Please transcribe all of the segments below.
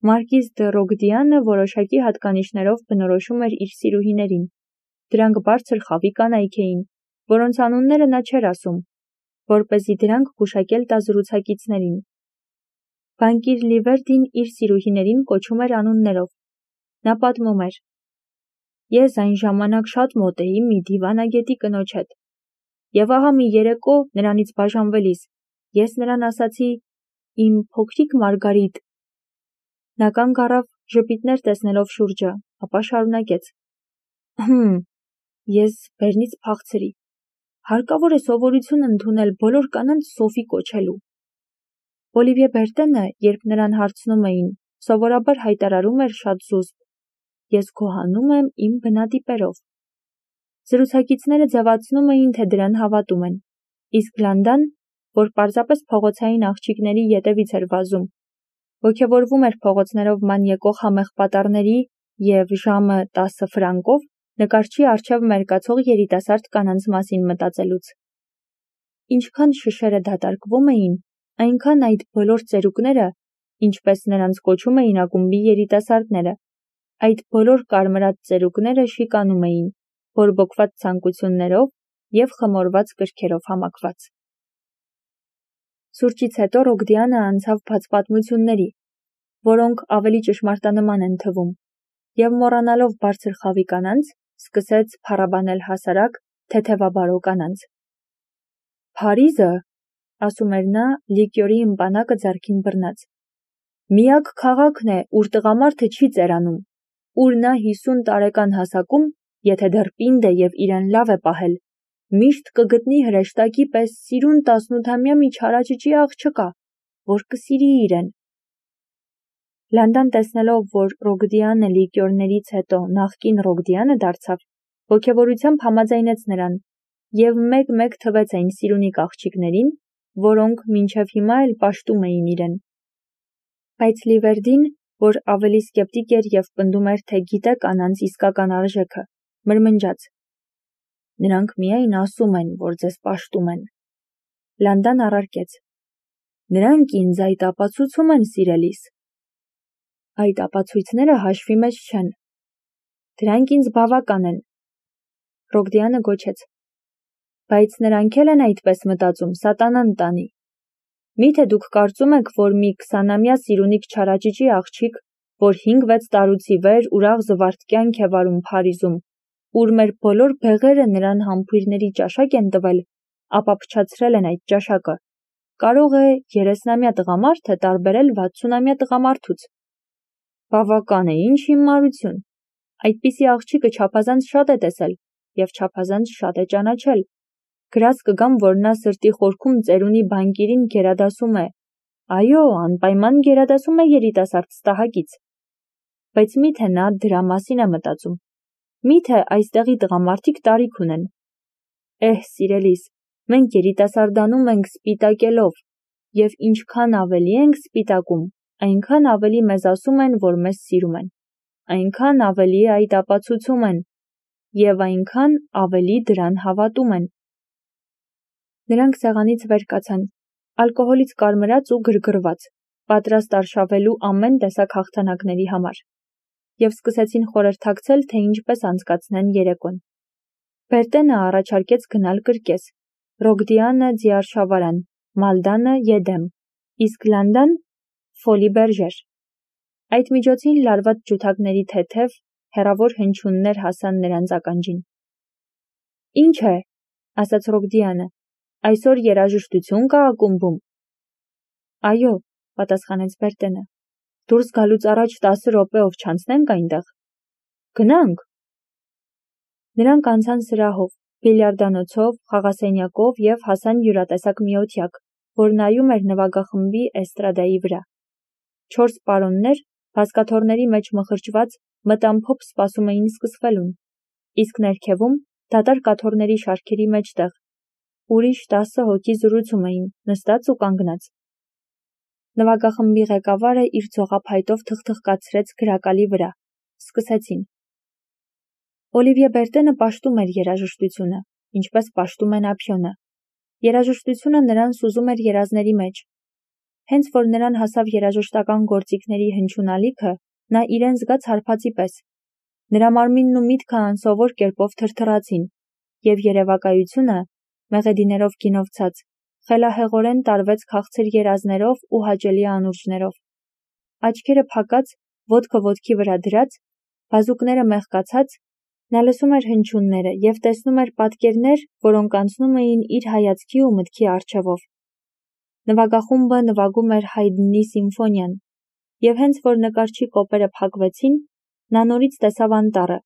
Մարկիզ դը Ռոգդիանը որոշակի հատկանիշներով բնորոշում էր իր սիրուհիներին։ Դրանք բարձր խավի կանայք էին, որոնց անունները նա չէր ասում, որպեսզի դրանք գուշակել տա զրուցակիցներին։ Բանկիր Լիվերդին իր սիրուհիներին կոչում էր անուններով։ Նա պատմում էր. «Ես այն ժամանակ շատ մոտ էի մի դիվանագետի կնոջ հետ, եւ ահա մի երեկո նրանից բաժանվելիս ես նրան ասացի. «Իմ փոքրիկ Մարգարիտ»։ Նա կանգ առավ, ժպիտներ տեսնելով շուրջը, ապա շարունակեց. Ես բերնից փախցրի։ Հարկավոր է սովորություն ընդունել բոլոր կանանց Սոֆի կոչելու։ Օլիվիե Բերտենը, երբ նրան հարցնում էին, սովորաբար հայտարարում էր շատ զուսպ. «Ես գոհանում եմ իմ բնատիպերով»։ Զրուցակիցները ձևացնում էին, թե դրան հավատում են, իսկ Լանդան, որ պարզապես փողոցային աղջիկների ետևից էր վազում, ոգևորվում էր փողոցներով ման եկող համեղ պատառների և ժամը 10 ֆրանկով նկարչի առջև մերկացող երիտասարդ կանանց մասին մտածելուց։ Ինչքան շշերը դատարկվում էին, այնքան այդ բոլոր ծերուկները, ինչպես նրանց կոչում էին ակումբի երիտասարդները, այդ բոլոր կարմրած ծերուկները շիկանում էին, բորբոքված ցանկություններով և խմորված կրքերով համակված։ Սուրճից հետո Ռոգդիանը անցավ բաց պատմությունների, որոնք ավելի ճշմարտանման են թվում, և մոռանալով բարձր խավի կանանց, սկսեց փառաբանել հասարակ, թեթևաբարո կանանց։ «Փարիզը, ասում էր նա, լիկյորի ըմպանակը ձեռքին բռնած, միակ քաղաքն է, ուր տղամարդը չի ծերանում, ուր նա 50 տարեկան հասակում, եթե դեռ պինդ է և իրեն լավ է պահել, միշտ կգտնի հրեշտակի պես սիրուն 18-ամյա մի չարաճճի աղջկա, որ կսիրի իրեն»։ Լանդան տեսնելով, որ Ռոգդիանը լիկյորներից հետո նախկին Ռոգդիանը դարձավ, ոգևորությամբ համաձայնեց նրան և մեկ-մեկ թվեց այն սիրունիկ աղջիկներին, որոնք մինչև հիմա էլ պաշտում էին իրեն։ Բայց Լիվերդին, որ ավելի սկեպտիկ էր և պնդում էր, թե գիտե կանանց իսկական արժեքը, մրմնջաց. «Նրանք միայն ասում են, որ ձեզ պաշտում են»։ Լանդան առարկեց. «Նրանք ինձ այդ ապացուցում են, սիրելիս»։ «Այդ ապացույցները հաշվի մեջ չեն»։ «Դրանք ինձ բավական են»։ Ռոգդիանը գոչեց. «Բայց նրանք էլ են այդպես մտածում, սատանան տանի։ Մի՞թե դուք կարծում եք, որ մի 20-ամյա սիրունիկ չարաճճի աղջիկ, որ 5-6 տարուց ի վեր ուրախ զվարթ կյանք է վարում Փարիզում, ուր մեր բոլոր բեղերը նրան համբույրների ճաշակ են տվել, ապա փչացրել են այդ ճաշակը, կարող է 30-ամյա տղամարդը տարբերել 60-ամյա տղամարդուց։ Բավական է, ինչ հիմարություն։ Այդպիսի աղջիկը չափազանց շատ է տեսել և չափազանց շատ է ճանաչել։ Գրած կգամ, որ նա սրտի խորքում ծերունի բանկիրին գերադասում է։ Այո, անպայման գերադասում է երիտասարդ ստահակից։ Բայց մի՞թե նա դրա մասին է մտածում։ Մի՞թե այստեղի տղամարդիկ տարիք ունեն։ Սիրելիս, մենք երիտասարդանում ենք սպիտակելով, և ինչքան ավելի ենք սպիտակում, այնքան ավելի մեզ ասում են, որ մեզ սիրում են, այնքան ավելի այդ ապացուցում են, և այնքան ավելի դրան հավատում են։ Նրանք սեղանից վեր կացան, ալկոհոլից կարմրած ու գրգռված, պատրաստ արշավելու ամեն տեսակ հաղթանակների համար, և սկսեցին խորհրդակցել, թե ինչպես անցկացնեն երեկոն։ Բերտենը առաջարկեց գնալ կրկես, Ռոգդիանը ձիարշավարան, Մալդանը Եդեմ, իսկ Լանդան Ֆոլի Բերժեր։ Այդ միջոցին լարված ջութակների թեթև, հեռավոր հնչյուններ հասան նրանց ականջին։ «Ինչ է», ասաց Ռոգդիանը, «այսօր երաժշտություն կա ակումբում»։ «Այո», պատասխանեց Բերտենը, «դուրս գալուց առաջ 10 րոպեով չանցնենք այնտեղ»։ «Գնանք»։ Նրանք անցան սրահով, բիլիարդանոցով, խաղասենյակով և հասան յուրատեսակ մի օթյակ, որ նայում էր նվագախմբի էստրադայի վրա։ 4 պարոններ, բազկաթոռների մեջ մխրճված, մտամփոփ սպասում էին սկսվելուն, իսկ ներքևում, դատարկ աթոռների շարքերի մեջտեղ, ուրիշ 10 հոգի զրուցում էին, նստած ու կանգնած։ Նվագախմբի ղեկավարը իր ձողափայտով թխթխկացրեց գրակալի վրա։ Սկսեցին։ Օլիվիե Բերտենը պաշտում էր երաժշտությունը, ինչպես պաշտում են ափիոնը։ Երաժշտությունը նրան սուզում էր երազների մեջ։ Հենց որ նրան հասավ երաժշտական գործիքների հնչյունալիքը, նա իրեն զգաց հարբածի պես։ Նրա մարմինն ու միտքը անսովոր կերպով թրթռացին, և երևակայությունը, մեղեդիներով գինովցած, խելահեղորեն տարվեց քաղցր երազներով ու հաճելի անուրջներով։ Աչքերը փակած, ոտքը ոտքի վրա դրած, բազուկները մեղկացած, նա լսում էր հնչյունները և տեսնում էր պատկերներ, որոնք անցնում էին իր հայացքի ու մտքի առջևով։ Նվագախումբը նվագում էր Հայդնի սիմֆոնիան, և հենց որ նկարչի կոպերը փակվեցին, նա նորից տեսավ անտառը։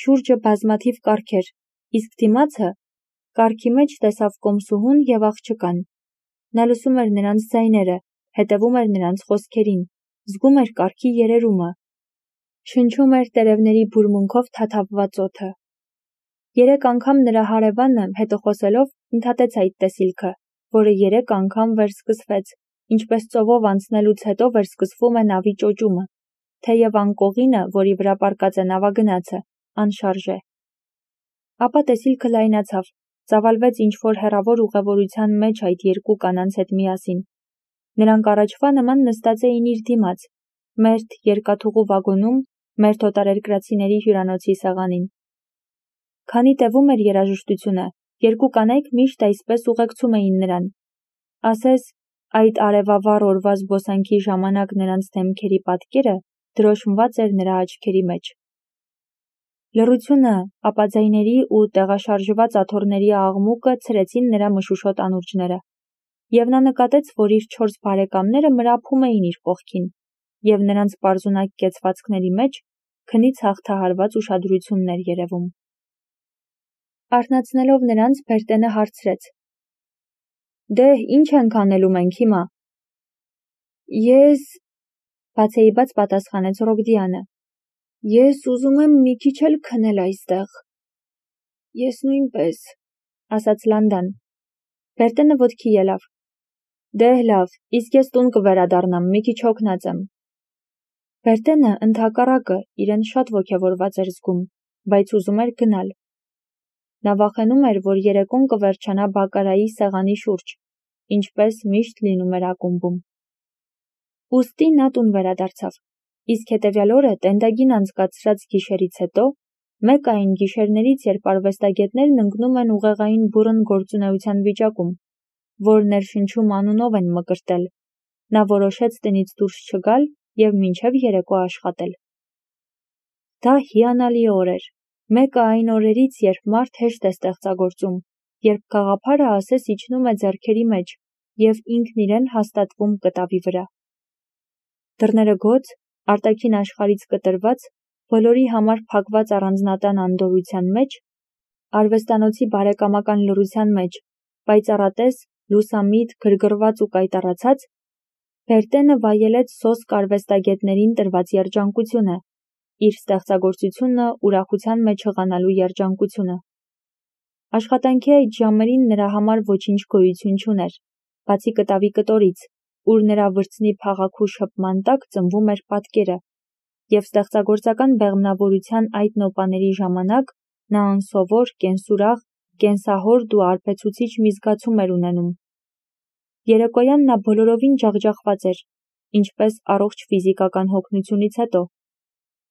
Շուրջը բազմաթիվ կառքեր, իսկ դիմացը կառքի մեջ տեսավ կոմսուհուն և աղջկան։ Նա լսում էր նրանց ձայները, հետևում էր նրանց խոսքերին, զգում էր կառքի երերումը, շնչում էր տերևների բուրմունքով թաթավված օդը։ 3 անգամ նրա հարևանը, հետոխոսելով, ընդհատեց այդ տեսիլքը, որը 3 անգամ վերսկսվեց, ինչպես ծովով անցնելուց հետո վերսկսվում է նավի ճոճումը, թեև անկողինը, որի վրա պառկած է նավագնացը, անշարժ է։ Ապա տեսիլքը լայնացավ, ծավալվեց ինչ-որ հեռավոր ուղևորության մեջ այդ 2 կանանց հետ միասին։ Նրանք առաջվա նման նստած էին իր դիմաց, մերթ երկաթուղու վագոնում, մերթ օտարերկրացիների հյուրանոցի սեղանին։ Քանի տևում էր երաժշտությունը, 2 կանայք միշտ այսպես ուղեկցում էին նրան։ Ասես, այդ արևավառ օրվա զբոսանքի ժամանակ նրանց դեմքերի պատկերը դրոշմված էր նրա աչքերի մեջ։ Լռությունը, ապաձայների ու տեղաշարժված աթոռների աղմուկը ցրեցին նրա մշուշոտ անուրջները, և նա նկատեց, որ իր 4 բարեկամները մրափում էին իր կողքին, և նրանց պարզունակ կեցվածքների մեջ քնից հաղթահարված ուշադրությունն էր երևում։ Արթնացնելով նրանց, Բերտենը հարցրեց. «Դե, ինչ ենք անելու մենք հիմա»։ Ես, բացեիբաց պատասխանեց Ռոգդյանը, ես ուզում եմ մի քիչ էլ քնել այստեղ։ Ես նույնպես, ասաց Լանդան։ Բերտենը ոտքի ելավ։ Դե լավ, իսկ ես տուն կվերադառնամ, մի քիչ հոգնած եմ։ Բերտենը, ընդհակառակը, իրեն շատ ոգևորված էր զգում, բայց ուզում էր գնալ։ Նա վախենում էր, որ երեկոն կվերջանա բակարայի սեղանի շուրջ, ինչպես միշտ լինում էր ակումբում։ Ուստի նա տուն վերադարձավ, իսկ հետևյալ օրը տենդագին անցկացրած գիշերից հետո, մեկ այն գիշերներից, երբ արվեստագետներն ընկնում են ուղեղային բուռն գործունեության վիճակում, որ ներշնչում անունով են մկրտել, նա որոշեց տնից դուրս չգալ և մինչև երեկո աշխատել։ Դա հիանալի օր էր, մեկը այն օրերից, երբ մարդ հեշտ է ստեղծագործում, երբ գաղափարը ասես իջնում է ձեռքերի մեջ և ինքն իրեն հաստատվում կտավի վրա։ Դռները գոց, արտաքին աշխարհից կտրված, բոլորի համար փակված առանձնատան անդորրության մեջ, արվեստանոցի բարեկամական լռության մեջ, պայծառատես, լուսամիտ, գրգռված ու կայտառացած, Բերտենը վայելեց սոսկ արվեստագետներին տրված երջանկությունը, իր ստեղծագործությունը ուրախության մեջ հղանալու երջանկությունը։ Աշխատանքի այդ ժամերին նրա համար ոչինչ գոյություն չուներ, բացի կտավի կտորից, ուր նրա վրձնի փաղաքու շփման տակ ծնվում էր պատկերը, և ստեղծագործական բեղմնավորության այդ նոպաների ժամանակ նա անսովոր, կենսուրախ, կենսահորդ ու արբեցուցիչ մի զգացում էր ունենում։ Երեկոյան նա բոլորովին ջախջախված էր, ինչպես առողջ ֆիզիկական հոգնությունից հետո,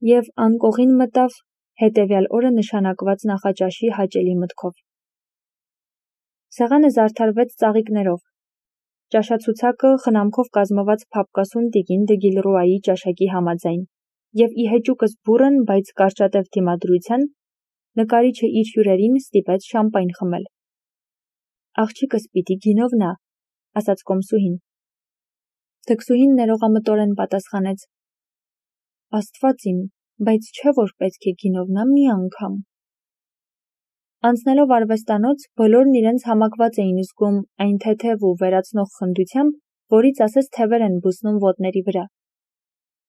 և անկողին մտավ հետևյալ օրը նշանակված նախաճաշի հաճելի մտքով։ Սեղանը զարդարվեց ծաղիկներով։ Ճաշացուցակը խնամքով կազմված փափկասուն տիկին դը Գիլռուայի ճաշակի համաձայն, և ի հեճուկս բուռն, բայց կարճատև դիմադրության, նկարիչը իր հյուրերին ստիպեց շամպայն խմել։ Աղջիկս պիտի գինովնա, ասաց կոմսուհին։ Դքսուհին ներողամտորեն պատասխանեց. Աստված իմ, բայց չէ որ պետք է գինովնա մի անգամ։ Անցնելով արվեստանոց, բոլորն իրենց համակված էին զգում այն թեթև ու վերացնող խնդությամբ, որից ասես թևեր են բուսնում ոտների վրա։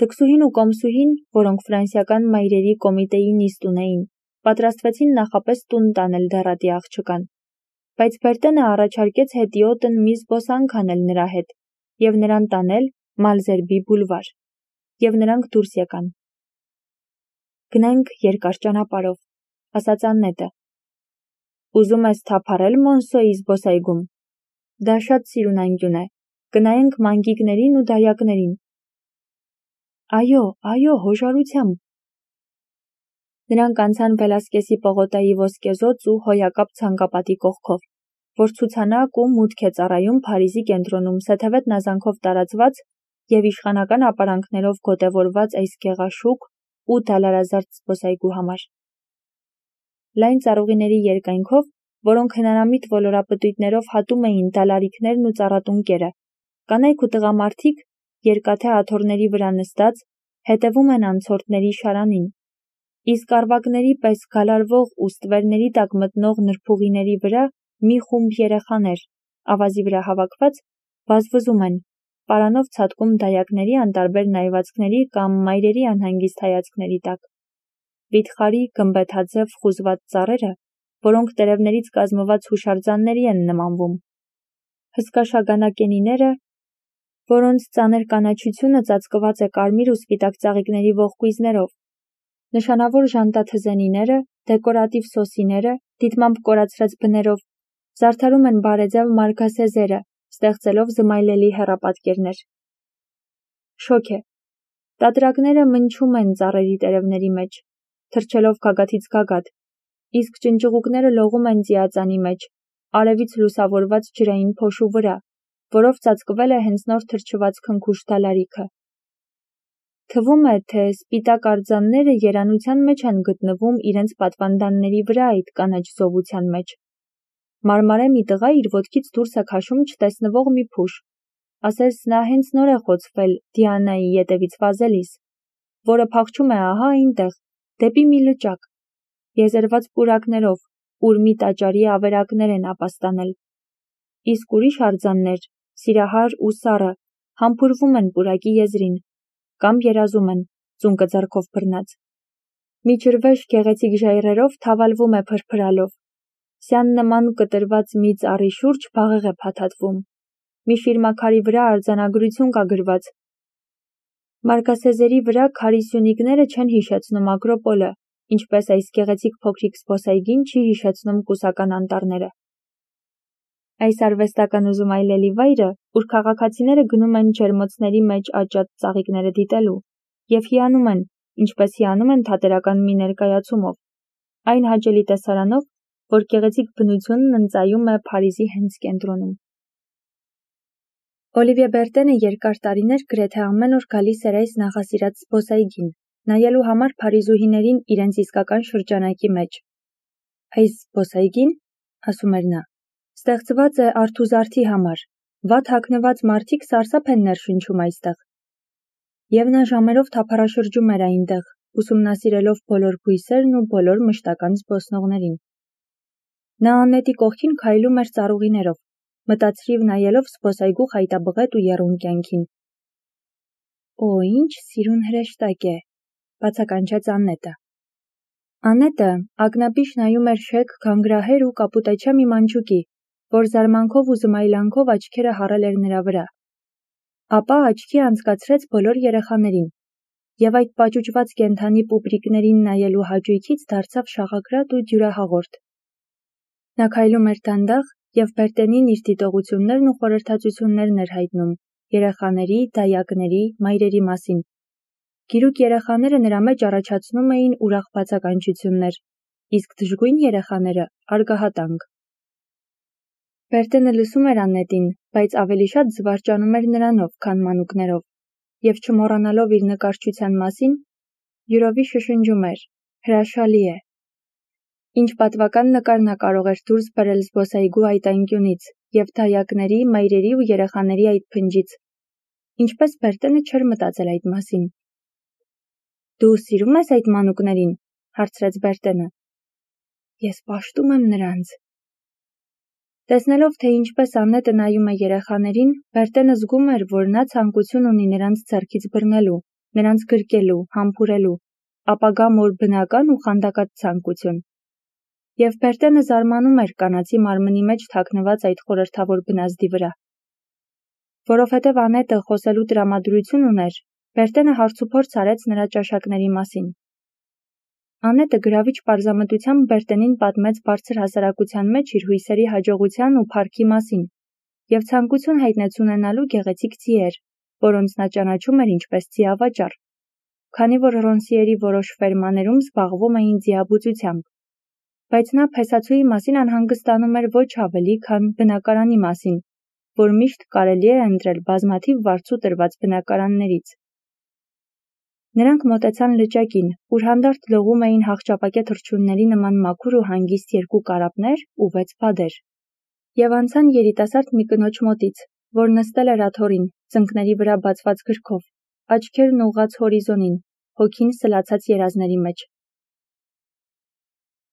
Դքսուհին ու կոմսուհին, որոնք ֆրանսիական մայրերի կոմիտեի նիստ ունեին, պատրաստվեցին նախապես տուն տանել դեռատի աղջկան, բայց Բերտենը առաջարկեց հետիոտն մի զբոսանք անել նրա հետ և նրան տանել Մալզերբի բուլվար, և նրանք դուրս եկան։ Գնանք երկար ճանապարհով, ասաց Աննետը։ Ուզում ես թափառել Մոնսոյի զբոսայգում։ Դա շատ սիրուն անկյուն է, կնայենք մանգիկներին ու դայակներին։ Այո, հոժարությամբ։ Նրանք անցան Վելասկեսի պողոտայի ոսկեզոծ ու հոյակապ ցանկապատի կողքով, որ ցուցանակ ու մուտք է ծառայում Փարիզի կենտրոնում սեթևետ նազանքով տարածված և իշխանական ապարանքներով գոտևորված այս գեղաշուք ու դալարազարդ զբոսայգու համար։ Լայն ծառուղիների երկայնքով, որոնք հնարամիտ ոլորապտույտներով հատում էին դալարիքներն ու ծառատունկերը, կանայք ու տղամարդիկ, երկաթե աթոռների վրա նստած, հետևում են անցորդների շարանին, իսկ առվակների պես գալարվող ու ստվերների տակ մտնող նրբուղիների վրա մի խումբ երեխաներ, ավազի վրա հավաքված, վազվզում են, պարանով ցատկում դայակների անտարբեր նայվածքների կամ մայրերի անհանգիստ հայացքների տակ։ Վիթխարի, գմբեթաձև խուզված ծառերը, որոնք տերևներից կազմված հուշարձանների են նմանվում։ Հսկա շագանակենիները, որոնց ծանր կանաչությունը ծածկված է կարմիր ու սպիտակ ծաղիկների ողկույզներով, նշանավոր ժանտաթզենիները, դեկորատիվ սոսիները, դիտմամբ կորացրած բներով, զարդարում են բարեձև մարգասեզերը, ստեղծելով զմայլելի հեռապատկերներ։ Շոգ է։ Տատրակները մնչում են ծառերի տերևների մեջ, թռչելով գագաթից գագաթ, իսկ ճնճղուկները լողում են ծիածանի մեջ, արևից լուսավորված ջրային փոշու վրա, որով ծածկվել է հենց նոր թրջված քնքուշ դալարիքը։ Թվում է, թե սպիտակ արձանները երանության մեջ են գտնվում իրենց պատվանդանների վրա այդ կանաչ զովության մեջ։ Մարմարե մի տղա իր ոտքից դուրս է քաշում չտեսնվող մի փուշ, ասես նա հենց նոր է խոցվել Դիանայի ետևից վազելիս, որը փախչում է ահա այնտեղ, դեպի մի լճակ, եզերված պուրակներով, ուր մի տաճարի ավերակներ են ապաստանել։ Իսկ ուրիշ արձաններ, սիրահար ու սառը, համբուրվում են պուրակի եզրին, կամ երազում են, ծունկը ձեռքով բռնած։ Մի ջրվեժ գեղեցիկ ժայռերով թավալվում է փրփրալով։ Սյան նման կտրված մի ծառի շուրջ բաղեղ է փաթաթվում։ Մի շիրմաքարի վրա արձանագրություն կա գրված։ Մարգասեզերի վրա քարի սյունիկները չեն հիշեցնում Ակրոպոլը, ինչպես այս գեղեցիկ փոքրիկ զբոսայգին չի հիշեցնում կուսական անտառները։ Այս արվեստական ու զմայլելի վայրը, ուր քաղաքացիները գնում են ջերմոցների մեջ աճած ծաղիկները դիտելու և հիանում են, ինչպես հիանում են թատերական մի ներկայացումով, այն հաճելի տեսարանով, որ գեղեցիկ բնությունն ընծայում է Փարիզի հենց կենտրոնում։ Օլիվիե Բերտենը երկար տարիներ գրեթե ամեն օր գալիս էր այս նախասիրած զբոսայգին, նայելու համար փարիզուհիներին իրենց իսկական շրջանակի մեջ։ Այս զբոսայգին, ասում էր նա, ստեղծված է արթուզարդի համար, վատ հագնված մարդիկ սարսափ են ներշնչում այստեղ։ Եվ նա ժամերով թափառաշրջում էր այնտեղ, ուսումնասիրելով բոլոր բույսերն ու բոլոր մշտական զբոսնողներին։ Նա անետի կողքին քայլում էր ծառուղիներով, մտածրիվ նայելով զբոսայգու խայտաբղետ ու եռուն կյանքին։ Օ, ինչ սիրուն հրեշտակ է, բացականչեց Անետը։ Անետը ակնաբիշ նայում էր շեկ գանգրահեր ու կապուտաչյա մի մանջուկի, որ զարմանքով ու զմայլանքով աչքերը հառել էր նրա վրա։ Ապա աչքի անցկացրեց բոլոր երեխաներին, և այդ պաճուճված կենդանի պուպրիկներին նայելու հաճույքից դարձավ շաղակրատ ու դյուրահաղորդ։ Նա քայլում էր դանդաղ և Բերտենին իր դիտողություններն ու խորհրդածություններն էր հայտնում երեխաների, դայակների, մայրերի մասին։ Գիրուկ երեխաները նրա մեջ առաջացնում էին ուրախ բացականչություններ, իսկ դժգույն երեխաները՝ արգահատանք։ Բերտենը լսում էր Անետին, բայց ավելի շատ զվարճանում էր նրանով, քան մանուկներով, և չմոռանալով իր նկարչության մասին, յուրովի շշնջում էր. հրաշալի է։ Ինչ պատվական նկար նա կարող էր դուրս բերել զբոսայգու այդ անկյունից և դայակների, մայրերի ու երեխաների այդ փնջից։ Ինչպես Բերտենը չէր մտածել այդ մասին։ Դու սիրում ես այդ մանուկներին, հարցրեց Բերտենը։ Ես պաշտում եմ նրանց։ Տեսնելով, թե ինչպես Անետը նայում է երեխաներին, Բերտենը զգում էր, որ նա ցանկություն ունի նրանց ձեռքից բռնելու, նրանց գրկելու, համբուրելու, ապագա մոր բնական ու խանդակած ցանկություն։ Եվ Բերտենը զարմանում էր կանացի մարմնի մեջ թաքնված այդ խորհրդավոր բնազդի վրա։ Որովհետև Անետը խոսելու տրամադրություն ուներ, Բերտենը հարցուփորձ արեց նրա ճաշակների մասին։ Անետը գրավիչ պարզամտությամբ Բերտենին պատմեց բարձր հասարակության մեջ իր հույսերի հաջողության ու փառքի մասին և ցանկություն հայտնեց ունենալու գեղեցիկ ձիեր, որոնց նա ճանաչում էր ինչպես ձիավաճառ, քանի որ Ռոնսիերի որոշ ֆերմաներում զբաղվում էին ձիաբուծությամբ, բայց նա փեսացուի մասին անհանգստանում էր ոչ ավելի, քան բնակարանի մասին, որ միշտ կարելի է ընտրել բազմաթիվ վարձու տրված բնակարաններից։ Նրանք մոտեցան լճակին, ուր հանդարտ լողում էին հաղճապակյա թռչունների նման մաքուր ու հանգիստ 2 կարապներ ու 6 բադեր, և անցան երիտասարդ մի կնոջ մոտից, որ նստել էր աթոռին, ծնկների վրա բացված գրքով, աչքերն ուղղած հորիզոնին, հոգին սլացած երազների մեջ։